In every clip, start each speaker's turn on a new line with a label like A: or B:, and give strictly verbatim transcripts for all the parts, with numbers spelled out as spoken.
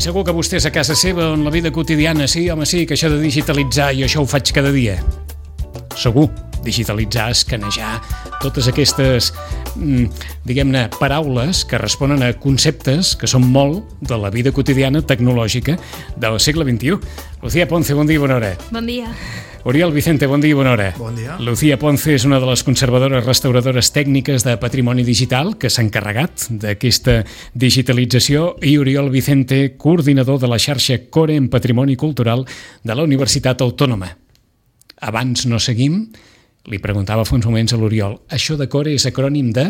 A: segur que vostès a casa seva, en la vida quotidiana, sí, home, sí, que això de digitalitzar i això ho faig cada dia. Segur, digitalitzar, escanejar, totes aquestes, diguem-ne, paraules que responen a conceptes que són molt de la vida quotidiana tecnològica del segle vint-i-u. Lucía Ponce, bon dia i bona hora.
B: Bon dia.
A: Oriol Vicente, bon dia i bona hora.
C: Bon dia.
A: Lucía Ponce és una de les conservadores restauradores tècniques de patrimoni digital que s'ha encarregat d'aquesta digitalització, i Oriol Vicente, coordinador de la xarxa Core en Patrimoni Cultural de la Universitat Autònoma. Abans no seguim, li preguntava fa uns moments a l'Oriol, això de Core és acrònim de...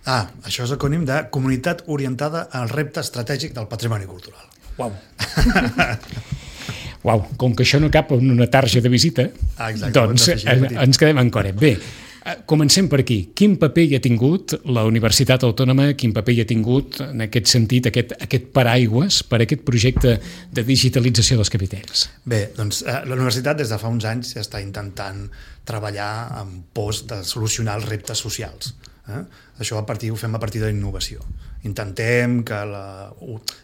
C: Ah, això és acrònim de Comunitat Orientada al Repte Estratègic del Patrimoni Cultural.
A: Uau! Uau, com que això no cap en una tarja de visita,
C: ah, exacte,
A: doncs ens quedem en Core. Bé, comencem per aquí. Quin paper hi ha tingut la Universitat Autònoma, quin paper hi ha tingut en aquest sentit, aquest, aquest paraigües per aquest projecte de digitalització dels capitells?
C: Bé, doncs eh, la universitat des de fa uns anys ja està intentant treballar en pos de solucionar els reptes socials. Eh? Això a partir, ho fem a partir de la innovació. Intentem que la,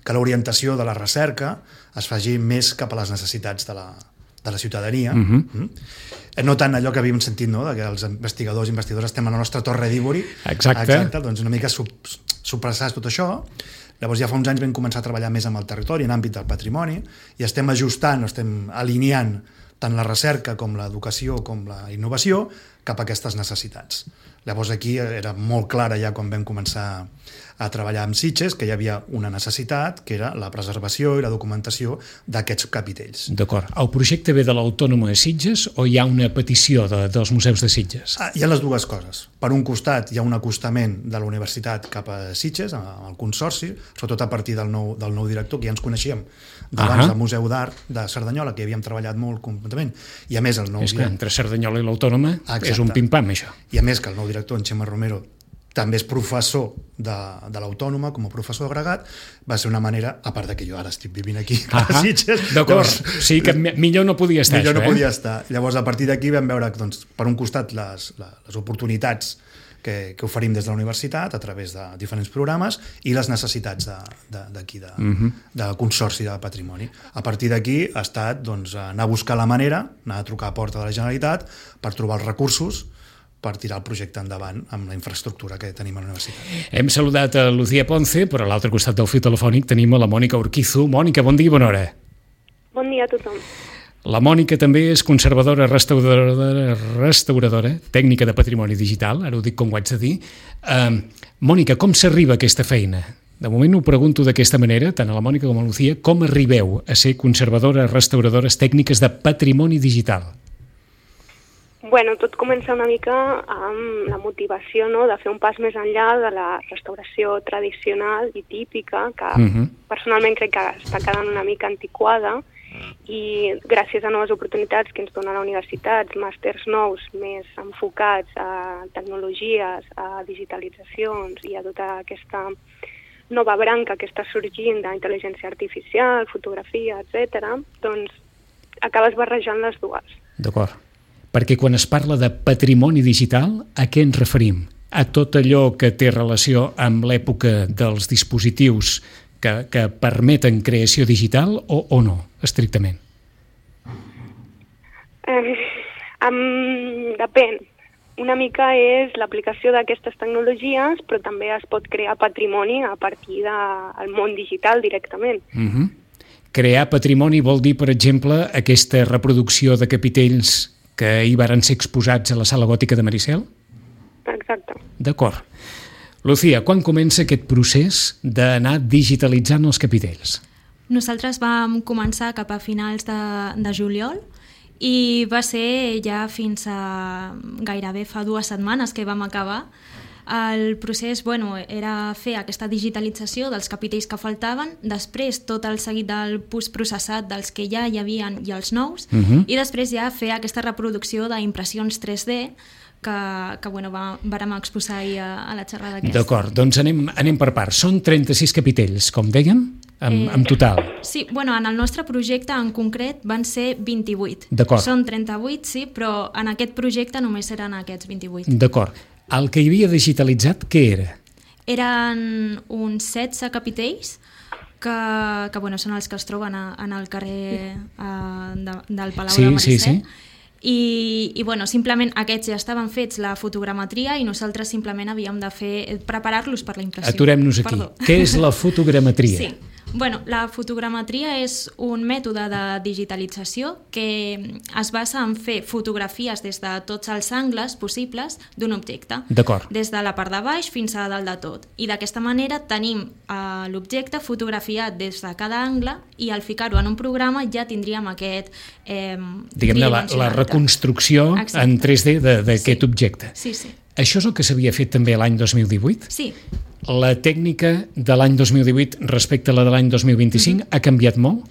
C: que l'orientació de la recerca es faci més cap a les necessitats de la, de la ciutadania. Uh-huh. mm? No tant allò que havíem sentit, no?, que els investigadors i investigadores estem a la nostra torre d'Ívori.
A: Exacte.
C: Exacte. Doncs una mica supressar tot això. Llavors ja fa uns anys vam començar a treballar més amb el territori, en àmbit del patrimoni, i estem ajustant, estem alineant tant la recerca com l'educació com la innovació cap a aquestes necessitats. Llavors aquí era molt clara ja quan vam començar a treballar amb Sitges que hi havia una necessitat, que era la preservació i la documentació d'aquests capitells.
A: D'acord. El projecte ve de l'Autònoma de Sitges o hi ha una petició de, dels museus de Sitges?
C: Ah, hi ha les dues coses. Per un costat hi ha un acostament de la universitat cap a Sitges, al consorci, sobretot a partir del nou, del nou director, que ja ens coneixíem d'abans uh-huh. del Museu d'Art de Cerdanyola, que hi havíem treballat molt completament. I a més el nou...
A: És que entre Cerdanyola i l'Autònoma és un pim-pam, això.
C: I a més que el nou director, en Xema Romero, també és professor de, de l'Autònoma, com a professor agregat, va ser una manera, a part de que jo ara estic vivint aquí a uh-huh. Sitges...
A: D'acord, sí que millor no podia estar
C: millor
A: això,
C: no
A: eh?
C: podia estar. Llavors, a partir d'aquí vam veure, doncs, per un costat, les, les oportunitats que, que oferim des de la universitat a través de diferents programes i les necessitats d'aquí, de, de, uh-huh. de Consorci de Patrimoni. A partir d'aquí ha estat doncs, anar a buscar la manera, anar a trucar a porta de la Generalitat per trobar els recursos per tirar el projecte endavant amb la infraestructura que tenim a la universitat.
A: Hem saludat a Lucía Ponce, però a l'altre costat del fil telefònic tenim a la Mònica Urquizu. Mònica, bon dia i bona hora.
D: Bon dia a tothom.
A: La Mònica també és conservadora, restauradora, restauradora, tècnica de patrimoni digital, ara ho dic com ho haig de dir. Uh, Mònica, com s'arriba a aquesta feina? De moment ho pregunto d'aquesta manera, tant a la Mònica com a la Lucía, com arribeu a ser conservadores, restauradores tècniques de patrimoni digital?
D: Bueno, tot comença una mica amb la motivació, no?, de fer un pas més enllà de la restauració tradicional i típica, que uh-huh. personalment crec que està quedant una mica antiquada, i gràcies a noves oportunitats que ens dona la universitat, màsters nous més enfocats a tecnologies, a digitalitzacions i a tota aquesta nova branca que està sorgint d'intel·ligència artificial, fotografia, etcètera, doncs acabes barrejant les dues.
A: D'acord. Perquè quan es parla de patrimoni digital, a què ens referim? A tot allò que té relació amb l'època dels dispositius que, que permeten creació digital o, o no, estrictament?
D: Eh, um, depèn. Una mica és l'aplicació d'aquestes tecnologies, però també es pot crear patrimoni a partir del món digital directament. Uh-huh.
A: Crear patrimoni vol dir, per exemple, aquesta reproducció de capitells que hi varen ser exposats a la Sala Gòtica de Maricel?
D: Exacte.
A: D'acord. Lucía, quan comença aquest procés d'anar digitalitzant els capitells?
B: Nosaltres vam començar cap a finals de, de juliol i va ser ja fins a gairebé fa dues setmanes que vam acabar. El procés, bueno, era fer aquesta digitalització dels capitells que faltaven, després tot el seguit del postprocessat dels que ja hi havia i els nous, uh-huh. i després ja fer aquesta reproducció d'impressions tres D que, que bueno, va, vàrem exposar ahir a, a la xerrada aquesta.
A: D'acord, doncs anem, anem per parts. Són trenta-sis capitells, com dèiem, en, eh, en total.
B: Sí, bueno, en el nostre projecte en concret van ser vint-i-vuit.
A: D'acord.
B: Són trenta-vuit, sí, però en aquest projecte només eren aquests vint-i-vuit.
A: D'acord. El que hi havia digitalitzat, què era?
B: Eren uns setze capitells que, que bueno, són els que es troben a, en el carrer uh, de, del Palau
A: sí,
B: de Maricet.
A: Sí, sí.
B: I, i bueno, simplement aquests ja estaven fets la fotogrametria i nosaltres simplement havíem de fer preparar-los per la impressió.
A: Aturem-nos aquí. Perdó. Què és la fotogrametria?
B: Sí. Bueno, la fotogrametria és un mètode de digitalització que es basa en fer fotografies des de tots els angles possibles d'un objecte.
A: D'acord.
B: Des de la part de baix fins a dalt de tot. I d'aquesta manera tenim eh, l'objecte fotografiat des de cada angle i al ficar-ho en un programa ja tindríem aquest... Eh,
A: Diguem-ne, la, la reconstrucció Exacte. En tres D d'aquest
B: sí.
A: objecte.
B: Sí, sí.
A: Això és el que s'havia fet també l'any dos mil divuit?
B: Sí.
A: La tècnica de l'any dos mil divuit respecte a la de l'any dos mil vint-i-cinc mm-hmm. ha canviat molt?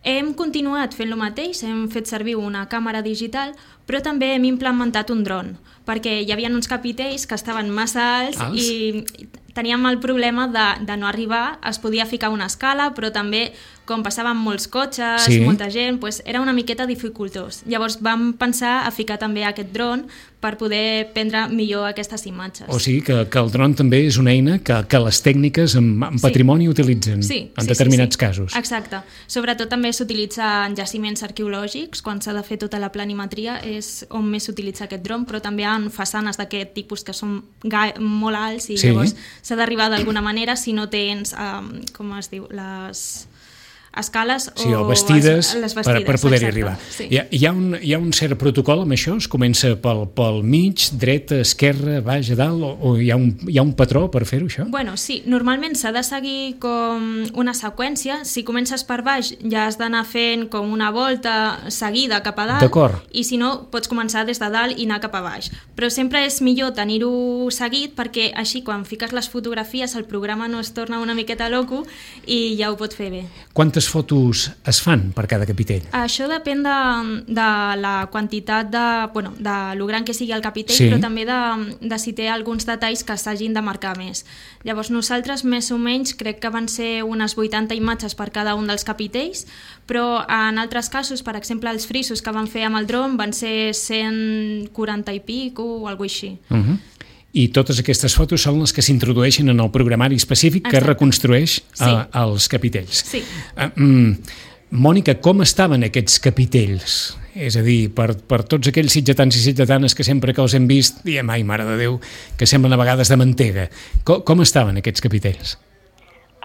B: Hem continuat fent el mateix, hem fet servir una càmera digital, però també hem implementat un dron, perquè hi havia uns capitells que estaven massa alts, alts? i teníem el problema de, de no arribar, es podia ficar una escala, però també, com passaven molts cotxes, sí. molta gent, doncs era una miqueta dificultós. Llavors vam pensar a ficar també aquest dron per poder prendre millor aquestes imatges.
A: O sigui que, que el dron també és una eina que, que les tècniques en, en patrimoni sí. utilitzen
B: sí,
A: en
B: sí,
A: determinats
B: sí, sí.
A: casos.
B: Exacte. Sobretot també s'utilitza en jaciments arqueològics, quan s'ha de fer tota la planimetria és on més s'utilitza aquest dron, però també en façanes d'aquest tipus que són molt alts i sí. llavors s'ha d'arribar d'alguna manera si no tens, um, com es diu, les escales
A: sí, o bastides,
B: les, les bastides
A: per, per poder-hi
B: exacte,
A: arribar.
B: Sí.
A: Hi, ha, hi, ha un, hi ha un cert protocol amb això? Es comença pel, pel mig, dreta, esquerra, baix, a dalt, o, o hi, ha un, hi ha un patró per fer-ho, això?
B: Bueno, sí, normalment s'ha de seguir com una seqüència. Si comences per baix ja has d'anar fent com una volta seguida cap a dalt, i si no pots començar des de dalt i anar cap a baix. Però sempre és millor tenir-ho seguit perquè així quan fiques les fotografies el programa no es torna una miqueta loco i ja ho pot fer bé.
A: Quantes fotos es fan per cada capitell?
B: Això depèn de, de la quantitat de, bueno, de lo gran que sigui el capitell, sí. però també de, de si té alguns detalls que s'hagin de marcar més. Llavors nosaltres més o menys crec que van ser unes vuitanta imatges per cada un dels capitells, però en altres casos, per exemple els frisos que van fer amb el dron van ser cent quaranta i pic o alguna cosa així.
A: Uh-huh. I totes aquestes fotos són les que s'introdueixen en el programari específic Exacte. Que reconstrueix sí. uh, els capitells.
B: Sí.
A: Uh, um, Mònica, com estaven aquests capitells? És a dir, per, per tots aquells sitgetans i sitgetanes que sempre que els hem vist, diem, ai, mare de Déu, que semblen a vegades de mantega. Com, com estaven aquests capitells?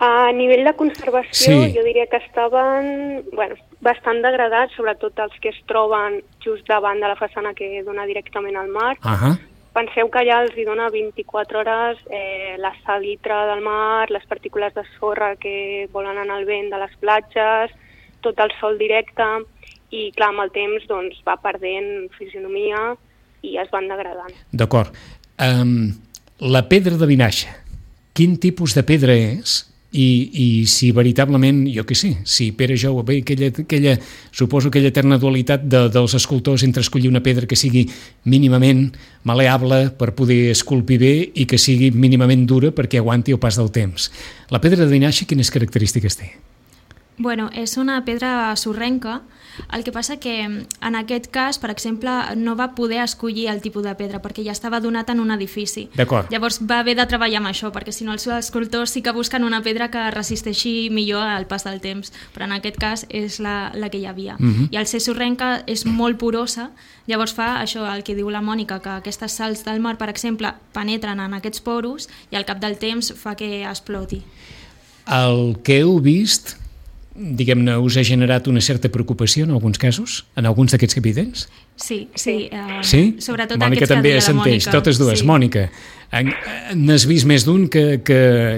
D: A nivell de conservació,
A: sí.
D: jo diria que estaven bueno, bastant degradats, sobretot els que es troben just davant de la façana que dona directament al mar.
A: Ahà. Uh-huh.
D: Penseu que allà els hi dona vint-i-quatre hores eh, la salitre del mar, les partícules de sorra que volen anar al vent de les platges, tot el sol directe, i clar, amb el temps doncs, va perdent fisionomia i es van degradant.
A: D'acord. Um, la pedra de Vinaixa, quin tipus de pedra és? I, i si veritablement, jo què sé, si Pere Jou, bé, aquella, aquella, suposo aquella eterna dualitat de, dels escultors entre escollir una pedra que sigui mínimament maleable per poder esculpir bé i que sigui mínimament dura perquè aguanti el pas del temps. La pedra de Vinaixa, quines característiques té?
B: Bueno, és una pedra sorrenca, el que passa que en aquest cas, per exemple, no va poder escollir el tipus de pedra perquè ja estava donat en un edifici.
A: D'acord.
B: Llavors va haver de treballar amb això, perquè si no els escultors sí que busquen una pedra que resisteixi millor al pas del temps, però en aquest cas és la, la que hi havia. Uh-huh. I al ser sorrenca és molt porosa, llavors fa això, el que diu la Mònica, que aquestes sals del mar, per exemple, penetren en aquests poros i al cap del temps fa que exploti.
A: El que heu vist, diguem-ne, us ha generat una certa preocupació en alguns casos, en alguns d'aquests capitells?
B: Sí, sí. Uh,
A: sí?
B: Sobretot
A: Mònica
B: aquests
A: també
B: que deia la
A: assenteix,
B: Mònica.
A: totes dues. Sí. Mònica, n'has vist més d'un que, que,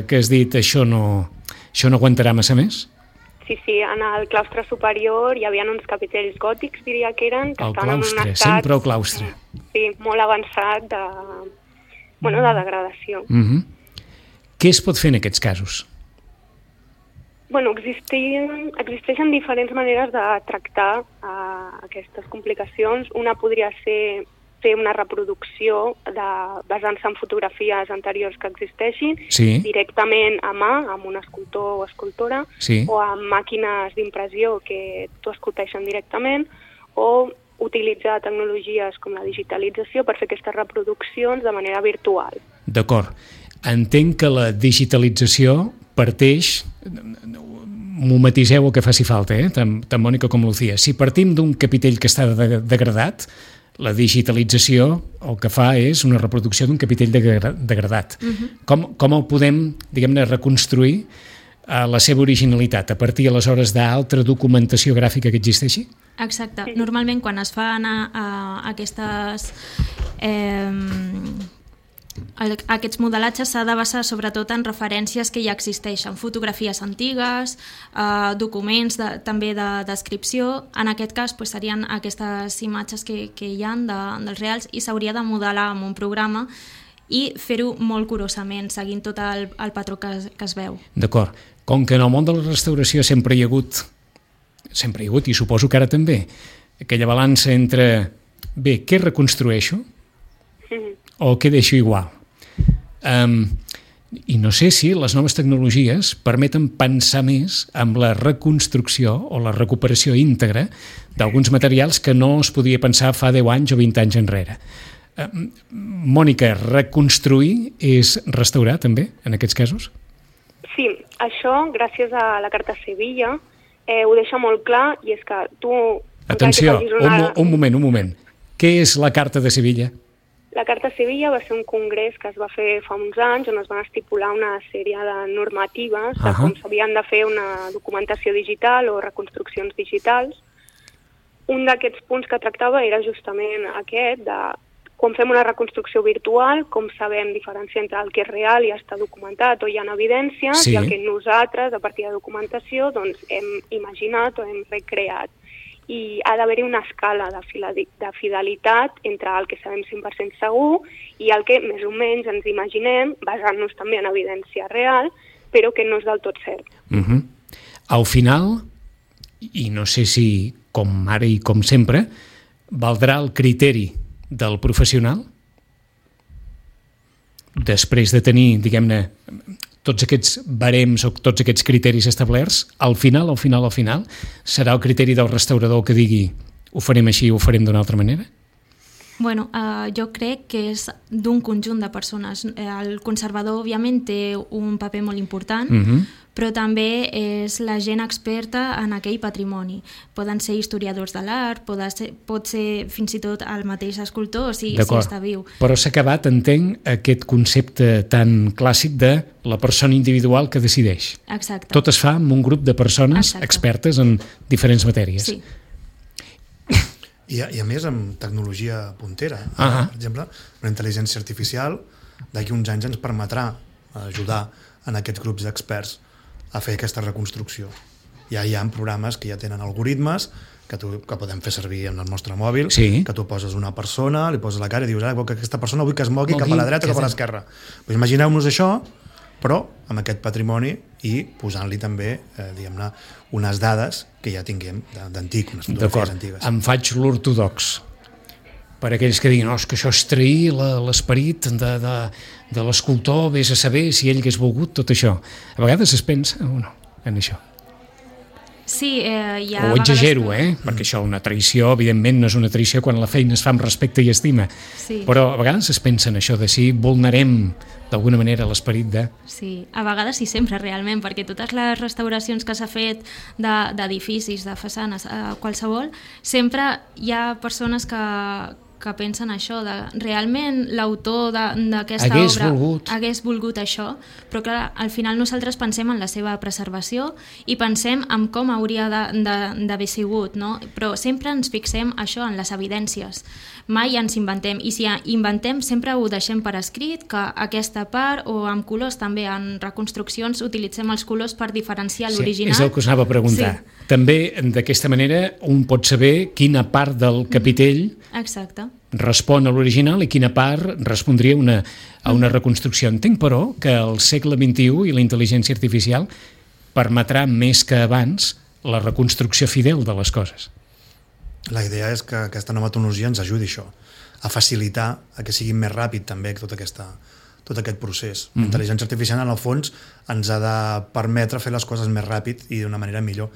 A: que has dit això no, això no aguantarà massa més?
D: Sí, sí, en el claustre superior hi havia uns capitells gòtics, diria que eren, que
A: el
D: estaven
A: claustre,
D: en un estat...
A: sempre el claustre.
D: Sí, molt avançat de, bueno, de degradació.
A: Uh-huh. Què es pot fer en aquests casos?
D: Bueno, existeixen, existeixen diferents maneres de tractar uh, aquestes complicacions. Una podria ser fer una reproducció de, basant-se en fotografies anteriors que existeixin,
A: sí.
D: directament a mà, amb un escultor o escultora,
A: sí.
D: o amb màquines d'impressió que t'ho esculpeixen directament, o utilitzar tecnologies com la digitalització per fer aquestes reproduccions de manera virtual.
A: D'acord. Entenc que la digitalització parteix, m'ho matiseu el que faci falta, eh? tant, tant Mònica com Lucía. Si partim d'un capitell que està de, degradat, la digitalització el que fa és una reproducció d'un capitell degradat. Uh-huh. Com, com el podem, diguem-ne, reconstruir a la seva originalitat, a partir aleshores d'altra documentació gràfica que existeixi?
B: Exacte. Normalment quan es fan a, a aquestes... Eh, aquests modelatges s'ha de basar sobretot en referències que ja existeixen, fotografies antigues, eh, documents de, també de descripció. En aquest cas pues, serien aquestes imatges que, que hi ha de, dels reals i s'hauria de modelar amb un programa i fer-ho molt curosament, seguint tot el, el patró que es, que es veu.
A: D'acord. Com que en el món de la restauració sempre hi ha hagut, sempre hi ha hagut, i suposo que ara també, aquella balança entre, bé, què reconstrueixo? O què deixo igual? Um, I no sé si les noves tecnologies permeten pensar més en la reconstrucció o la recuperació íntegra d'alguns materials que no es podia pensar fa deu anys o vint anys enrere. Um, Mònica, reconstruir és restaurar també, en aquests casos?
D: Sí, això, gràcies a la Carta Sevilla, eh, ho deixa molt clar, i és que tu...
A: Atenció, una... un, un moment, un moment. Què és la Carta de Sevilla?
D: La Carta Sevilla va ser un congrés que es va fer fa uns anys on es van estipular una sèrie de normatives de uh-huh. com s'havien de fer una documentació digital o reconstruccions digitals. Un d'aquests punts que tractava era justament aquest, de quan fem una reconstrucció virtual, com sabem diferenciar entre el que és real i està documentat o hi ha evidències, sí. i el que nosaltres, a partir de documentació, doncs, hem imaginat o hem recreat. I ha d'haver-hi una escala de fidelitat entre el que sabem cent per cent segur i el que més o menys ens imaginem, basant-nos també en evidència real, però que no és del tot cert.
A: Uh-huh. Al final, i no sé si com ara i com sempre, valdrà el criteri del professional? Després de tenir, diguem-ne, tots aquests barems o tots aquests criteris establerts, al final, al final, al final, serà el criteri del restaurador que digui ho farem així, ho farem d'una altra manera?
B: Bueno, uh, jo crec que és d'un conjunt de persones. El conservador, òbviament, té un paper molt important, uh-huh. però també és la gent experta en aquell patrimoni. Poden ser historiadors de l'art, pot ser, pot ser fins i tot el mateix escultor, si, si està viu.
A: Però s'ha acabat, entenc, aquest concepte tan clàssic de la persona individual que decideix.
B: Exacte.
A: Tot es fa amb un grup de persones Exacte. Expertes en diferents matèries.
B: Sí.
C: I a, I a més amb tecnologia puntera.
A: Uh-huh.
C: Per exemple, la intel·ligència artificial d'aquí uns anys ens permetrà ajudar en aquests grups d'experts a fer aquesta reconstrucció. Ja hi ha programes que ja tenen algoritmes que, tu, que podem fer servir en el nostre mòbil,
A: sí.
C: que tu poses una persona, li poses la cara i dius, ah, que aquesta persona vull que es mogui cap a la dreta o cap a l'esquerra. Pues imagineu-nos això, però amb aquest patrimoni i posant-li també, eh, diguem-ne, unes dades que ja tinguem d'antic, unes fotografies antigues.
A: Em faig l'ortodox. Per aquells que diguin, oh, és que això és trair l'esperit de, de, de l'escultor, vés a saber si ell hagués volgut tot això. A vegades es pensa o no, en això.
B: Sí, eh, hi ha
A: o exagero,
B: que...
A: eh? Perquè això, una traïció, evidentment, no és una traïció quan la feina es fa amb respecte i estima.
B: Sí.
A: Però a vegades es pensa en això de si vulnerem d'alguna manera l'esperit de...
B: Sí, a vegades i sempre realment, perquè totes les restauracions que s'ha fet d'edificis, de, de façanes, eh, qualsevol, sempre hi ha persones que, que pensen això, de realment l'autor d'aquesta obra
A: volgut.
B: hagués volgut això, però clar, al final nosaltres pensem en la seva preservació i pensem en com hauria d'haver sigut, no? Però sempre ens fixem això en les evidències, mai ens inventem, i si inventem sempre ho deixem per escrit, que aquesta part, o amb colors també, en reconstruccions utilitzem els colors per diferenciar l'original.
A: Sí, és el que us anava a preguntar. Sí. També d'aquesta manera un pot saber quina part del capitell
B: Exacte.
A: respon a l'original i quina part respondria una, a una reconstrucció. Entenc, però, que el segle vint-i-u i la intel·ligència artificial permetrà més que abans la reconstrucció fidel de les coses.
C: La idea és que aquesta nova tecnologia ens ajudi això, a facilitar a que sigui més ràpid també tot, aquesta, tot aquest procés. Mm-hmm. La intel·ligència artificial, en el fons, ens ha de permetre fer les coses més ràpid i d'una manera millor,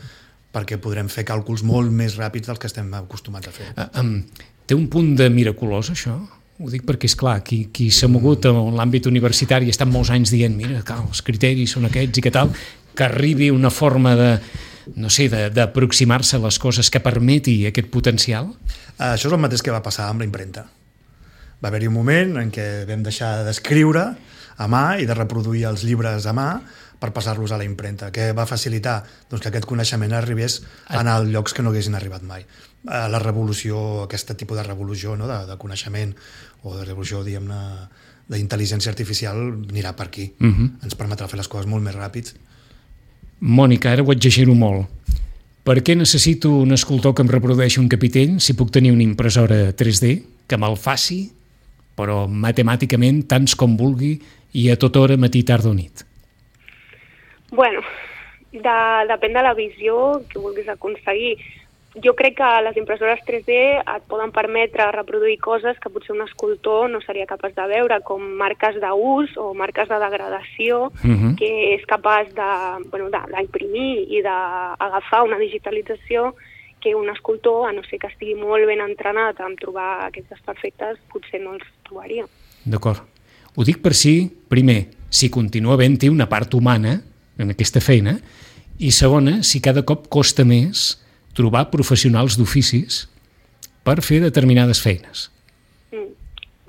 C: perquè podrem fer càlculs molt més ràpids dels que estem acostumats a fer.
A: Uh, um, té un punt de miraculós, això? Ho dic perquè, és clar, qui, qui s'ha mogut en l'àmbit universitari i està molts anys dient, mira, cal, els criteris són aquests i què tal, que arribi una forma de, no sé, d'aproximar-se a les coses que permeti aquest potencial?
C: Això és el mateix que va passar amb la impremta. Va haver-hi un moment en què vam deixar d'escriure a mà i de reproduir els llibres a mà per passar-los a la impremta, que va facilitar doncs, que aquest coneixement arribés a anar a llocs que no haguessin arribat mai. La revolució, aquest tipus de revolució, no? de, de coneixement o de revolució, diguem-ne, d'intel·ligència artificial anirà per aquí. Uh-huh. Ens permetrà fer les coses molt més ràpids.
A: Mònica, ara ho exagero molt. Per què necessito un escultor que em reprodueixi un capitell si puc tenir una impressora tres D que me'l faci, però matemàticament tants com vulgui i a tota hora, matí, tarda o nit?
D: Bueno, de, depèn de la visió que vulguis aconseguir. Jo crec que les impressores tres D et poden permetre reproduir coses que potser un escultor no seria capaç de veure, com marques d'ús o marques de degradació, uh-huh. que és capaç de, bueno, d'imprimir i d'agafar una digitalització que un escultor, a no ser que estigui molt ben entrenat en trobar aquests desperfectes, potser no els trobaria.
A: D'acord. Ho dic per si, primer, si continua havent-hi una part humana en aquesta feina, i segona, si cada cop costa més trobar professionals d'oficis per fer determinades feines.
D: Mm.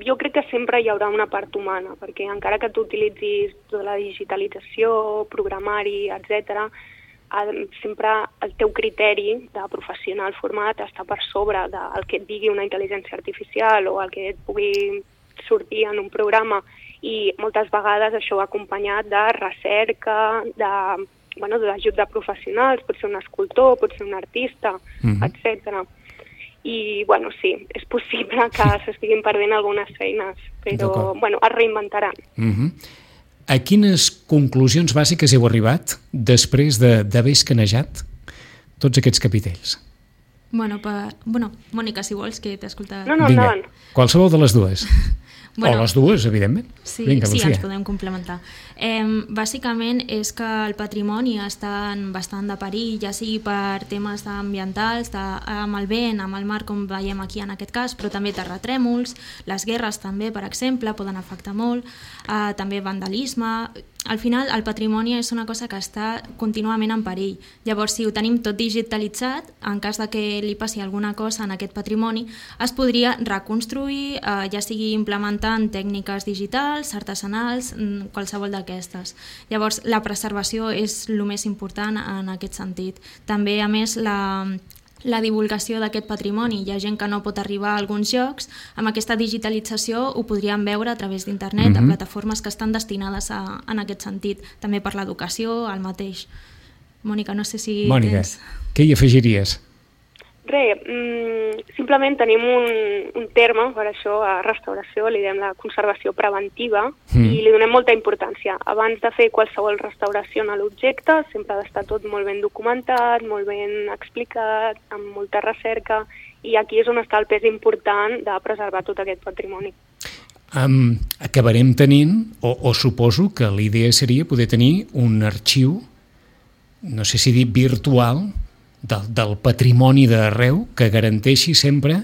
D: Jo crec que sempre hi haurà una part humana, perquè encara que tu utilitzis tota la digitalització, programari, etcètera, sempre el teu criteri de professional format està per sobre del que et digui una intel·ligència artificial o el que et pugui sortir en un programa, i moltes vegades això va acompanyat de recerca, de, bueno, d'ajut de professionals, pot ser un escultor, pot ser un artista, uh-huh. etcètera. I, bueno, sí, és possible que s'estiguin perdent algunes feines, però, bueno, es reinventaran.
A: Uh-huh. A quines conclusions bàsiques heu arribat després d'haver escanejat tots aquests capitells?
B: Bueno, per... bueno, Mònica, si vols, que t'he escoltat.
D: No, no,
A: Vinga,
D: endavant.
A: Qualsevol de les dues.
B: Bueno,
A: o les dues, evidentment.
B: Sí,
A: Vinga,
B: sí,
A: Lucía.
B: ens podem complementar. Eh, bàsicament és que el patrimoni està en bastant de perill, ja sigui per temes ambientals, de, amb el vent, amb el mar, com veiem aquí en aquest cas, però també terratrèmols, les guerres també, per exemple, poden afectar molt, eh, també vandalisme. Al final, el patrimoni és una cosa que està contínuament en perill. Llavors, si ho tenim tot digitalitzat, en cas de que li passi alguna cosa en aquest patrimoni, es podria reconstruir, eh, ja sigui implementant tècniques digitals, artesanals, qualsevol d'aquestes. Llavors, la preservació és el més important en aquest sentit. També, a més, la... la divulgació d'aquest patrimoni. Hi ha gent que no pot arribar a alguns llocs, amb aquesta digitalització ho podríem veure a través d'internet, mm-hmm. a plataformes que estan destinades a, en aquest sentit, també per l'educació, el mateix. Mònica, no sé si
A: Mònica,
B: tens...
A: què hi afegiries?
D: Res, mmm, simplement tenim un, un terme per això a restauració, li diem la conservació preventiva, mm. i li donem molta importància. Abans de fer qualsevol restauració a l'objecte, sempre ha d'estar tot molt ben documentat, molt ben explicat, amb molta recerca, i aquí és on està el pes important de preservar tot aquest patrimoni.
A: Um, acabarem tenint, o, o suposo que l'idea seria poder tenir un arxiu, no sé si dir virtual, Del, del patrimoni d'arreu que garanteixi sempre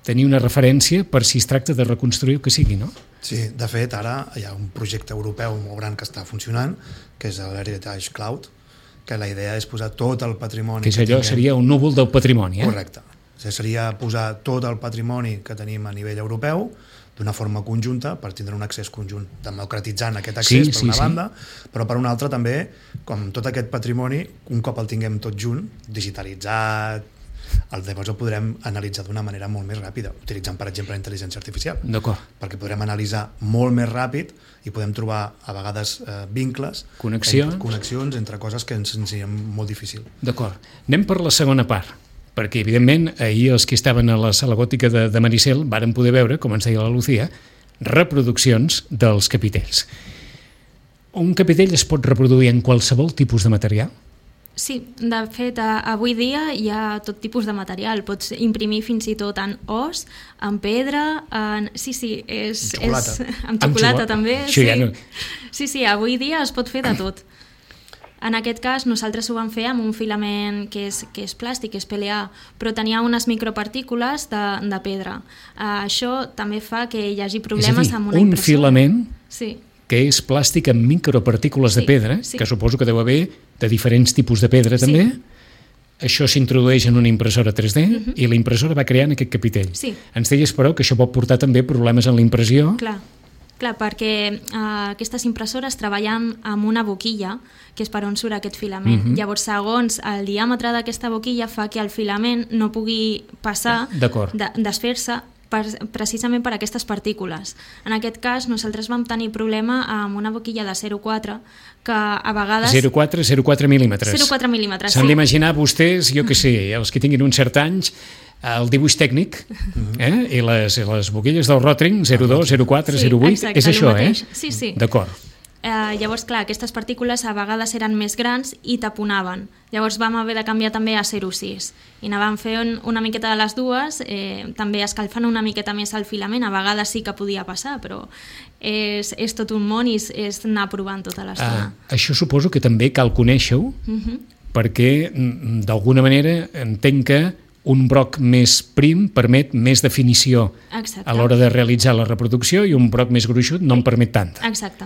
A: tenir una referència per si es tracta de reconstruir el que sigui, no?
C: Sí, de fet, ara hi ha un projecte europeu molt gran que està funcionant, que és l'Heritage Cloud, que la idea és posar tot el patrimoni...
A: Que és allò, que seria un núvol del patrimoni, eh?
C: Correcte. O sigui, seria posar tot el patrimoni que tenim a nivell europeu d'una forma conjunta per tindre un accés conjunt, democratitzant aquest accés, sí, per una sí, banda, sí. però per una altra també, com tot aquest patrimoni, un cop el tinguem tot junt, digitalitzat, el llavors el podrem analitzar d'una manera molt més ràpida, utilitzant, per exemple, la intel·ligència artificial.
A: D'acord.
C: Perquè podrem analitzar molt més ràpid i podem trobar, a vegades, eh, vincles,
A: connexions.
C: Entre, connexions entre coses que ens senzillem molt difícil.
A: D'acord. Anem per la segona part, perquè, evidentment, ahir els que estaven a la sala gòtica de, de Maricel varen poder veure, com ens deia la Lucía, reproduccions dels capitells. Un capitell es pot reproduir en qualsevol tipus de material?
B: Sí, de fet, avui dia hi ha tot tipus de material. Pots imprimir fins i tot en os, en pedra, en... Sí, sí, és...
C: Amb xocolata.
B: És... Amb xocolata,
A: amb
B: també.
A: Això
B: sí.
A: Ja no...
B: sí, sí, avui dia es pot fer de tot. En aquest cas, nosaltres ho vam fer amb un filament que és, que és plàstic, que és P L A, però tenia unes micropartícules de, de pedra. Uh, això també fa que hi hagi problemes
A: dir,
B: amb una
A: un
B: impressora.
A: filament
B: sí.
A: que és plàstic amb micropartícules
B: Sí,
A: de pedra,
B: sí.
A: que suposo que deu haver de diferents tipus de pedra
B: Sí.
A: també. Això s'introdueix en una impressora tres D
B: Mhm.
A: i la impressora va creant aquest capitell.
B: Sí.
A: Ens deies, però, que això pot portar també problemes en la impressió.
B: Clar, clar perquè eh, aquestes impressores treballen amb una boquilla, que és per on surt aquest filament.
A: Mhm.
B: Llavors, segons el diàmetre d'aquesta boquilla, fa que el filament no pugui passar,
A: D'acord.
B: de, desfer-se, per, precisament per aquestes partícules. En aquest cas, nosaltres vam tenir problema amb una boquilla de zero coma quatre, que a vegades...
A: zero coma quatre, zero coma quatre mil·límetres.
B: zero coma quatre mil·límetres,
A: S'han
B: sí.
A: d'imaginar vostès, jo que sé, els que tinguin uns certs anys, el dibuix tècnic, eh? I les, les boquilles del Rotring, zero coma dos, zero coma quatre,
B: Sí,
A: zero coma vuit,
B: exacte,
A: és
B: el
A: això,
B: mateix.
A: eh?
B: Sí, sí.
A: D'acord.
B: Eh, llavors, clar, aquestes partícules a vegades eren més grans i taponaven. Llavors vam haver de canviar també a zero coma sis. I anàvem fent una miqueta de les dues, eh, també escalfant una miqueta més el filament. A vegades sí que podia passar, però és, és tot un món i és, és anar provant tota l'estona.
A: Ah, això suposo que també cal conèixer-ho,
B: Mhm.
A: perquè mm, d'alguna manera entenc que un broc més prim permet més definició
B: Exacte.
A: a l'hora de realitzar la reproducció i un broc més gruixut no en permet tanta.
B: Exacte.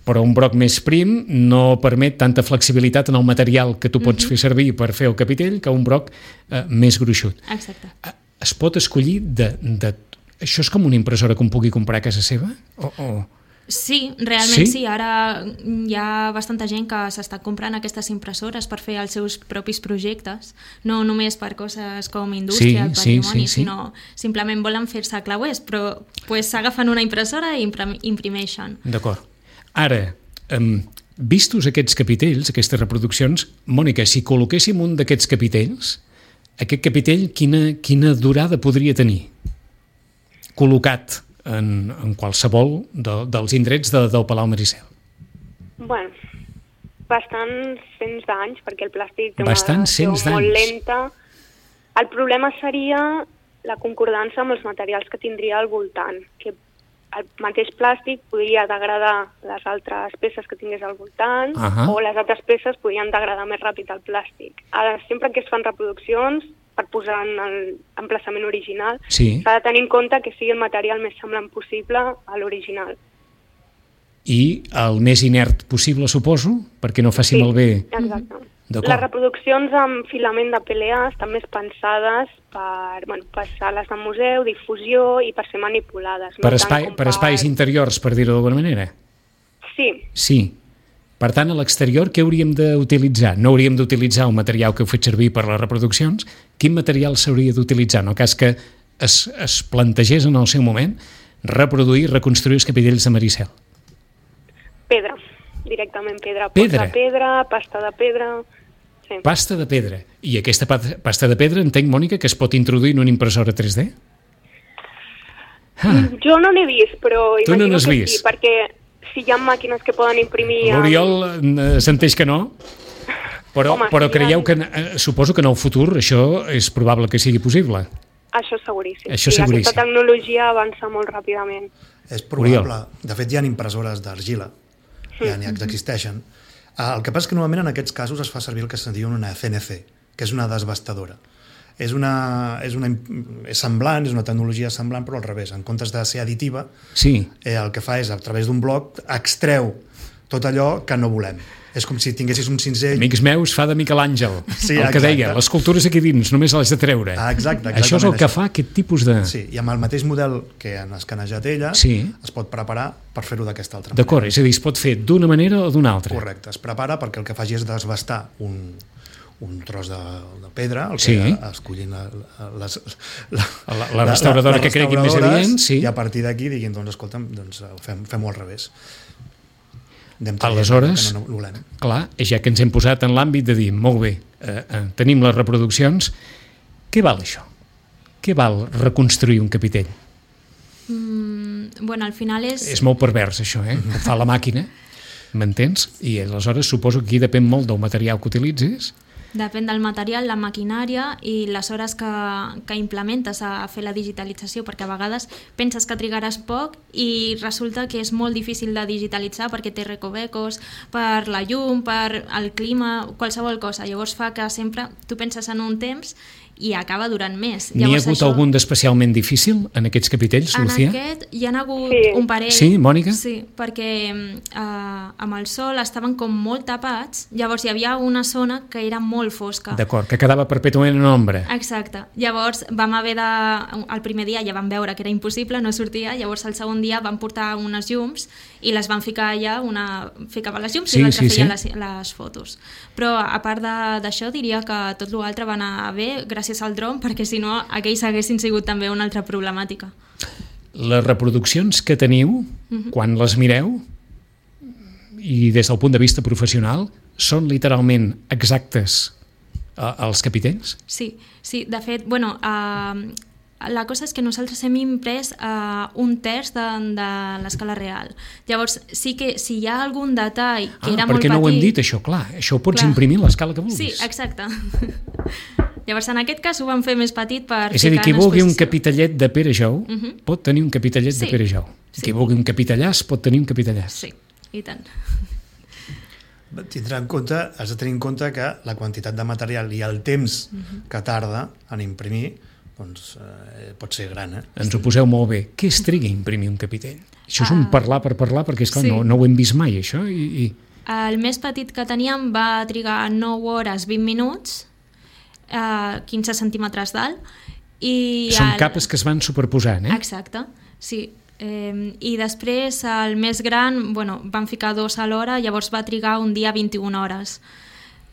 A: Però un broc més prim no permet tanta flexibilitat en el material que tu pots
B: Mhm.
A: fer servir per fer el capitell que un broc eh, més gruixut.
B: Exacte.
A: Eh, Es pot escollir de, de... Això és com una impressora que un pugui comprar a casa seva? O, o...
B: Sí, realment
A: Sí?
B: sí? sí. Ara hi ha bastanta gent que s'està comprant aquestes impressores per fer els seus propis projectes, no només per coses com indústria,
A: Sí,
B: el
A: sí,
B: patrimoni,
A: sí, sí.
B: sinó simplement volen fer-se clauers, però pues, s'agafen una impressora i imprim- imprimeixen.
A: D'acord. Ara, um, vistos aquests capitells, aquestes reproduccions, Mònica, si col·loquéssim un d'aquests capitells, aquest capitell quina, quina durada podria tenir? Col·locat en, en qualsevol de, dels indrets de, del Palau Maricel.
D: Bueno, bastants cents d'anys, perquè el plàstic té
A: Bastants
D: una
A: cents
D: reacció molt
A: d'anys.
D: lenta. El problema seria la concordança amb els materials que tindria al voltant, que el mateix plàstic podria degradar les altres peces que tingués al voltant,
A: Ahà.
D: o les altres peces podrien degradar més ràpid el plàstic. Ara, sempre que es fan reproduccions, per posar en l'emplaçament original,
A: Sí.
D: s'ha de tenir en compte que sigui el material més semblant possible a l'original.
A: I el més inert possible, suposo, perquè no faci malbé.
D: Exacte.
A: D'acord.
D: Les reproduccions amb filament de P L A estan més pensades per, bueno, per sales de museu, difusió i per ser manipulades.
A: Per,
D: no
A: espai,
D: tant com
A: per espais interiors, per dir-ho d'alguna manera.
D: Sí,
A: Sí. Per tant, a l'exterior, què hauríem d'utilitzar? No hauríem d'utilitzar el material que heu fet servir per les reproduccions? Quin material s'hauria d'utilitzar? En el cas que es, es plantegés en el seu moment reproduir i reconstruir els capitells de Maricel.
D: pedra, directament pedra.
A: Pedra?
D: Pots de pedra, pasta de pedra... Sí.
A: Pasta de pedra. I aquesta pa- pasta de pedra, entenc, Mònica, que es pot introduir en una impressora tres D? Ah,
D: Jo no n'he vist, però
A: Tu no
D: imagino
A: n'has
D: que
A: vist?
D: sí, perquè si hi ha màquines que poden imprimir... amb-
A: L'Oriol eh, s'enteix que no, però,
D: Home,
A: però
D: sí,
A: creieu
D: ja-
A: que, eh, suposo que en el futur això és probable que sigui possible.
D: Això seguríssim.
A: Això
D: sí,
A: seguríssim.
D: Aquesta tecnologia avança molt ràpidament.
C: És probable. De fet, hi ha impressores d'argila, ja n'hi existeixen. Ah, El que passa és que normalment en aquests casos es fa servir el que se'n diu una C N C, que és una desbastadora. És, una, és, una, és semblant, és una tecnologia semblant, però al revés. En comptes de ser additiva,
A: Sí,
C: eh, el que fa és, a través d'un bloc, extreu tot allò que no volem. És com si tinguessis un cinzell...
A: amics meus, fa de Miquel Àngel,
C: Sí,
A: el que
C: exacte.
A: deia, les cultures aquí dins, només les de treure.
C: Ah, exacte,
A: Això és el
C: exactament
A: que
C: això.
A: fa aquest tipus de...
C: Sí, i amb el mateix model que han escanejat ella,
A: Sí.
C: es pot preparar per fer-ho d'aquesta altra manera.
A: D'acord, és a dir, es pot fer d'una manera o d'una altra.
C: Correcte, es prepara perquè el que faci és desbastar un, un tros de, de pedra, el que
A: Sí.
C: escollin la, les, la,
A: La- la restauradora que cregui més
C: restauradores,
A: adient, sí.
C: I a partir d'aquí diguin, doncs escolta'm, doncs, fem, fem-ho al revés. Anem traient
A: Aleshores,
C: el que no, no volem.
A: clar, ja que ens hem posat en l'àmbit de dir, molt bé, eh, eh, tenim les reproduccions, què val això? Què val reconstruir un capitell?
B: Mm, bueno, al final és...
A: És molt pervers, això, eh? Ho fa la màquina, m'entens? I aleshores suposo que aquí depèn molt del material que utilitzis.
B: Depèn del material, la maquinària i les hores que, que implementes a fer la digitalització, perquè a vegades penses que trigaràs poc i resulta que és molt difícil de digitalitzar perquè té recovecos, per la llum, per el clima, qualsevol cosa. Llavors fa que sempre tu penses en un temps i acaba durant més.
A: N'hi ha hagut això... algun d'especialment difícil en aquests capitells,
B: en
A: Lucía?
B: En aquest hi ha hagut
D: sí.
B: un parell.
A: Sí, Mònica?
B: Sí, perquè eh, amb el sol estaven com molt tapats, llavors hi havia una zona que era molt fosca.
A: D'acord, que quedava perpètuament en ombra.
B: Exacte. Llavors vam haver de... El primer dia ja vam veure que era impossible, no sortia, llavors el segon dia vam portar unes llums i les van ficar allà, una ficava les llums sí, i l'altra sí, feia sí. les, les fotos. Però a part d'això diria que tot l'altre va anar bé gràcies al dron, perquè si no aquells haguessin sigut també una altra problemàtica.
A: Les reproduccions que teniu, uh-huh. quan les mireu, i des del punt de vista professional, són literalment exactes eh, els capitells?
B: Sí, sí, de fet, bueno, eh, la cosa és que nosaltres hem imprès eh, un terç de, de l'escala real. Llavors, sí que si hi ha algun detall que
A: ah,
B: era molt petit...
A: perquè no ho hem dit, això, clar. Això ho pots clar. imprimir a l'escala que vulguis.
B: Sí, exacte. Llavors, en aquest cas ho vam fer més petit per...
A: És a dir, qui vulgui un capitellet de Pere Jou uh -huh. pot tenir un capitellet
B: sí.
A: de Pere Jou.
B: Sí.
A: Qui vulgui un capitellàs pot tenir un capitellàs.
B: Sí, i tant.
C: Tindrà en compte, has de tenir en compte que la quantitat de material i el temps uh -huh. que tarda en imprimir doncs, eh, pot ser gran. Eh?
A: Ens ho poseu molt bé. Què es triga a imprimir un capitell? Això és un
B: uh,
A: parlar per parlar, perquè esclar,
B: sí.
A: no, no ho hem vist mai, això. I, i...
B: El més petit que teníem va trigar nou hores vint minuts, eh, quinze centímetres d'alt. I
A: Són
B: el...
A: capes que es van superposant, eh?
B: Exacte, sí. Eh, I després el més gran, bueno, van ficar dos a l'hora, llavors va trigar un dia vint-i-una hores.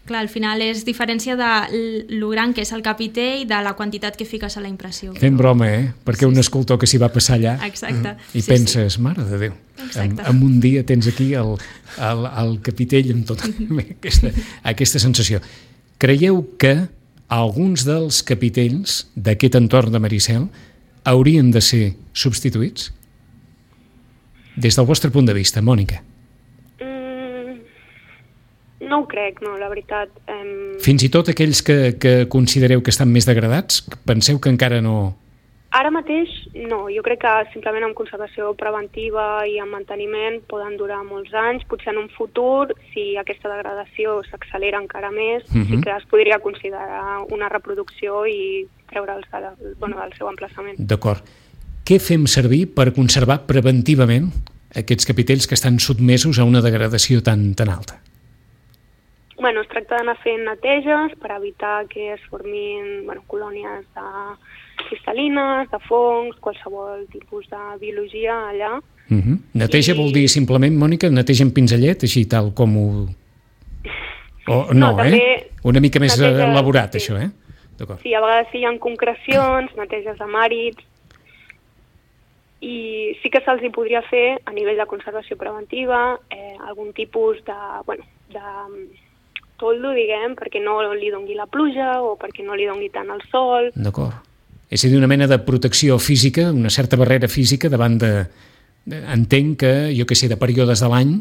B: Clar, al final és diferència de lo gran que és el capitell de la quantitat que fiques a la impressió.
A: Fem broma, eh? Perquè sí, un escultor que s'hi va passar allà
B: exacte.
A: i
B: sí,
A: penses,
B: sí.
A: mare de Déu, en,
B: Exacte.
A: en un dia tens aquí el, el, el capitell amb tota aquesta, aquesta sensació. Creieu que alguns dels capitells d'aquest entorn de Maricel haurien de ser substituïts? Des del vostre punt de vista, Mònica.
D: No ho crec, no, la veritat. Em...
A: Fins i tot aquells que, que considereu que estan més degradats, penseu que encara no...
D: Ara mateix no, jo crec que simplement amb conservació preventiva i amb manteniment poden durar molts anys, potser en un futur, si aquesta degradació s'accelera encara més, uh-huh. sí que es podria considerar una reproducció i treure'ls de, bueno, del seu emplaçament.
A: D'acord. Què fem servir per conservar preventivament aquests capitells que estan sotmesos a una degradació tan, tan alta?
D: Bueno, es tracta d'anar fent neteges per evitar que es formin bueno, colònies de cristal·lines, de fongs, qualsevol tipus de biologia allà.
A: Uh-huh. Neteja I... vol dir simplement, Mònica, neteja amb pinzellet, així tal com ho... O, no, no eh? Una mica més neteja, elaborat, sí. Això, eh?
D: Sí, a vegades hi ha concrecions, neteges amb àrids, i sí que se'ls hi podria fer a nivell de conservació preventiva eh, algun tipus de, bueno, de toldo, diguem, perquè no li dongui la pluja o perquè no li dongui tant el sol.
A: D'acord. És a dir, una mena de protecció física, una certa barrera física davant de... Entenc que, jo què sé, de períodes de l'any,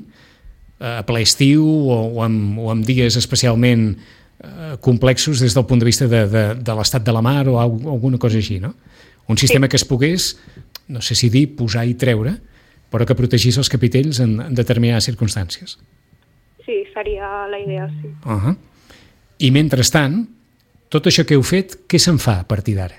A: a ple estiu o, o, amb, o amb dies especialment eh, complexos des del punt de vista de, de, de l'estat de la mar o alguna cosa així, no? Un sistema sí. que es pogués, no sé si dir, posar i treure, però que protegís els capitells en, en determinades circumstàncies.
D: Sí, seria la idea, sí.
A: Uh-huh. I mentrestant, tot això que heu fet, què se'n fa a partir d'ara?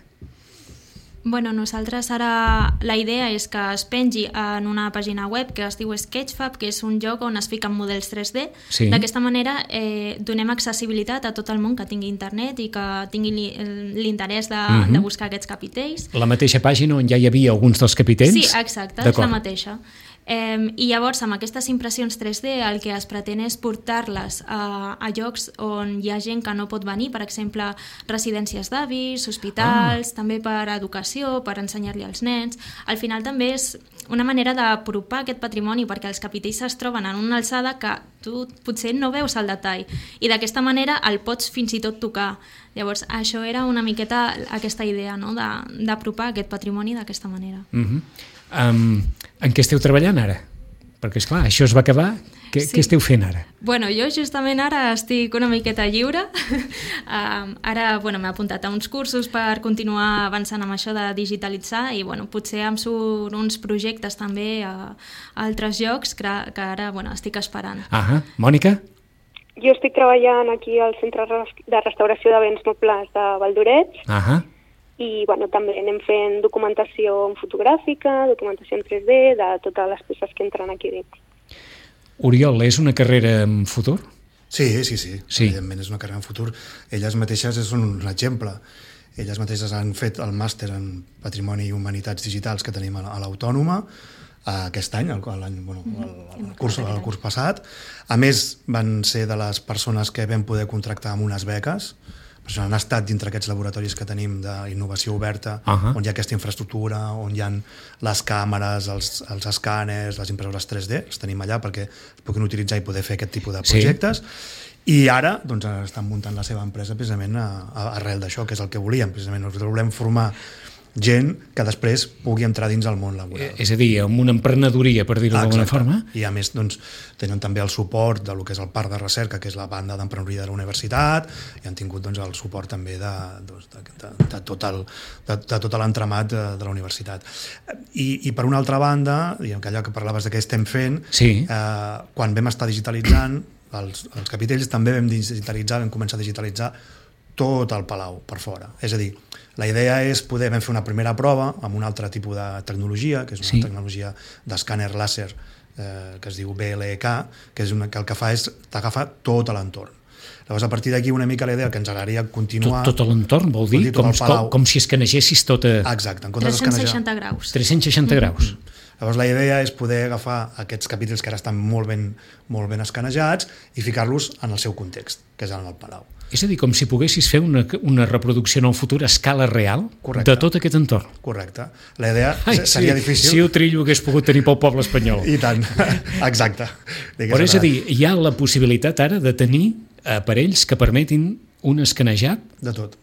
B: Bueno, nosaltres ara la idea és que es pengi en una pàgina web que es diu Sketchfab, que és un lloc on es fiquen models tres D. Sí. D'aquesta manera eh, donem accessibilitat a tot el món que tingui internet i que tingui l'interès de, uh-huh. de buscar aquests capitells.
A: La mateixa pàgina on ja hi havia alguns dels capitells?
B: Sí, exacte, és la mateixa. Eh, I llavors, amb aquestes impressions tres D, el que es pretén és portar-les a, a llocs on hi ha gent que no pot venir, per exemple, residències d'avis, hospitals, ah. també per educació, per ensenyar-li als nens. Al final també és una manera d'apropar aquest patrimoni, perquè els capitells es troben en una alçada que tu potser no veus el detall, i d'aquesta manera el pots fins i tot tocar. Llavors, això era una miqueta aquesta idea, no?, d'apropar aquest patrimoni d'aquesta manera.
A: Mhm. Um, en què esteu treballant ara? Perquè, esclar, això es va acabar. Què, sí. què esteu fent ara?
B: Bueno, jo justament ara estic una miqueta lliure. um, ara bueno, m'he apuntat a uns cursos per continuar avançant amb això de digitalitzar i bueno, potser em surt uns projectes també a, a altres llocs que, que ara bueno, estic esperant.
A: Ah, Mònica?
D: jo estic treballant aquí al Centre de Restauració de Béns Mobles de Valldorets.
A: Ahà.
D: I bueno, també anem fent documentació fotogràfica, documentació en tres D, de totes les peces que entren aquí dins.
A: Oriol, és una carrera en futur?
C: Sí, sí, sí,
A: sí.
C: Evidentment és una carrera en futur. Elles mateixes són un exemple. Elles mateixes han fet el màster en Patrimoni i Humanitats Digitals que tenim a l'Autònoma aquest any, el, bueno, el, el, curs, el curs passat. A més, van ser de les persones que vam poder contractar amb unes beques. Per això han estat dintre aquests laboratoris que tenim d'innovació oberta, uh-huh. on hi ha aquesta infraestructura, on hi ha les càmeres, els, els escàners, les impressores tres D, els tenim allà perquè es puguin utilitzar i poder fer aquest tipus de projectes. Sí. I ara doncs, estan muntant la seva empresa precisament a, a, arrel d'això, que és el que volíem. Precisament nosaltres volem formar gent que després pugui entrar dins el món laboral.
A: És a dir, amb una emprenedoria, per dir-ho d'alguna forma.
C: I a més doncs, tenen també el suport del que és el parc de recerca, que és la banda d'emprenedoria de la universitat, i han tingut doncs, el suport també de, doncs, de, de, de, tot, el, de, de tot l'entramat de, de la universitat. I, I per una altra banda, diguem que allò que parlaves de què estem fent,
A: sí.
C: eh, quan vam estar digitalitzant els, els capitells, també vam digitalitzar, vam començar a digitalitzar tot el palau per fora. És a dir, la idea és poder fer una primera prova amb un altre tipus de tecnologia, que és una sí. tecnologia d'escàner làser eh, que es diu B L E K, que, és una, que el que fa és t'agafa tot l'entorn. Llavors, a partir d'aquí, una mica la idea que ens agradaria continuar...
A: Tot, tot l'entorn, vol dir? Com, com, com si escanegessis tota...
C: Exacte. En
B: tres-cents seixanta graus.
A: tres-cents seixanta mm-hmm. graus.
C: Llavors, la idea és poder agafar aquests capítols que ara estan molt ben, molt ben escanejats i ficar-los en el seu context, que és en el palau.
A: És a dir, com si poguessis fer una, una reproducció en el futur a escala real Correcte. De tot aquest entorn.
C: Correcte. La idea
A: Ai,
C: seria
A: sí,
C: difícil...
A: Si ho trillo hagués pogut tenir pel poble espanyol.
C: I tant, exacte.
A: Però és a dir, hi ha la possibilitat ara de tenir aparells que permetin un escanejat?
C: De tot.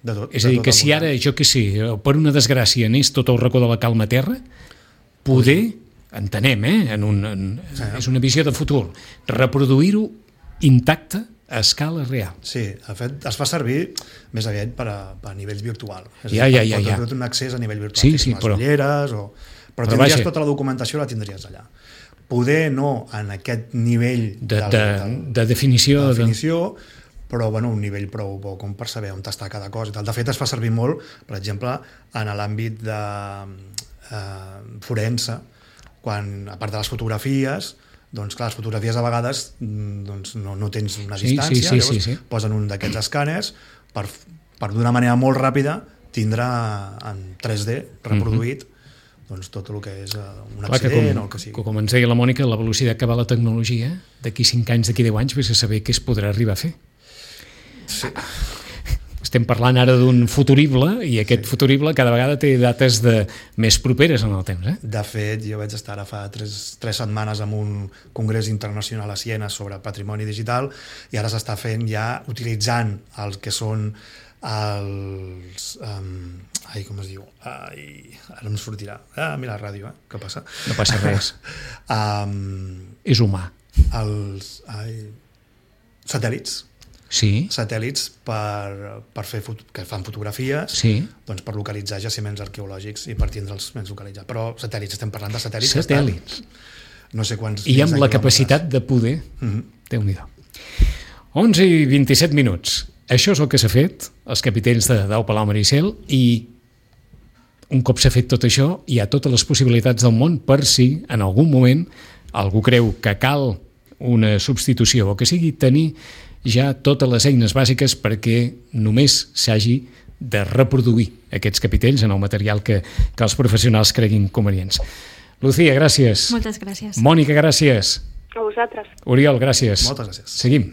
C: De tot.
A: És a dir, que si ara, jo què sé, per una desgràcia anés tot el racó de la calma terra, poder, entenem, eh? En un, en, sí. És una visió de futur, reproduir-ho intacte a escala real.
C: Sí, de fet, es fa servir més aviat per a, per a nivells virtual. És
A: ja,
C: dir,
A: ja, ja, ja.
C: Pot un accés a nivell virtual.
A: Sí, sí,
C: les
A: però...
C: ulleres, o... però, però tindries vaja. Tota la documentació, la tindries allà. Poder no en aquest nivell
A: de,
C: del,
A: de,
C: del,
A: de definició,
C: de definició de... però bueno, un nivell prou bo com per saber on està cada cosa. I tal. De fet, es fa servir molt, per exemple, en l'àmbit de eh, forense, quan, a part de les fotografies, doncs clar, les fotografies a vegades doncs, no, no tens una distància,
A: sí, sí, sí,
C: llavors
A: sí, sí.
C: posen un d'aquests escàners per, per d'una manera molt ràpida tindrà en tres D reproduït mm-hmm. doncs, tot el que és un clar, accident
A: com,
C: o el que sigui.
A: Com ens deia la Mònica, la velocitat que va la tecnologia, d'aquí cinc anys, d'aquí deu anys, vés a saber què es podrà arribar a fer.
C: Sí.
A: Estem parlant ara d'un futurible i aquest sí. futurible cada vegada té dates de més properes en el temps. Eh?
C: De fet, jo vaig estar ara fa tres, tres setmanes en un congrés internacional a Siena sobre patrimoni digital i ara s'està fent ja utilitzant el que són els... Um, ai, com es diu? Ai, ara em sortirà. Ah, mira la ràdio, eh? Què passa?
A: No passa res.
C: um,
A: És humà.
C: Els ai, satèl·lits.
A: Sí.
C: Satèl·lits per, per fer foto, que fan fotografies
A: sí.
C: doncs per localitzar jaciments arqueològics i per tindre'ls més localitzats. Però satèl·lits, estem parlant de satèl·lits.
A: Satèl·lits.
C: No sé quants...
A: I amb la capacitat de poder... Mm-hmm. Déu-n'hi-do. onze i vint-i-set minuts. Això és el que s'ha fet, els capitells de Dau Palau Maricel, i un cop s'ha fet tot això, hi ha totes les possibilitats del món per si en algun moment algú creu que cal una substitució o que sigui tenir ja totes les eines bàsiques perquè només s'hagi de reproduir aquests capitells en el material que, que els professionals creguin convenients. Lucía, gràcies.
B: Moltes gràcies.
A: Mònica, gràcies.
D: A vosaltres.
A: Oriol, gràcies.
C: Moltes gràcies.
A: Seguim.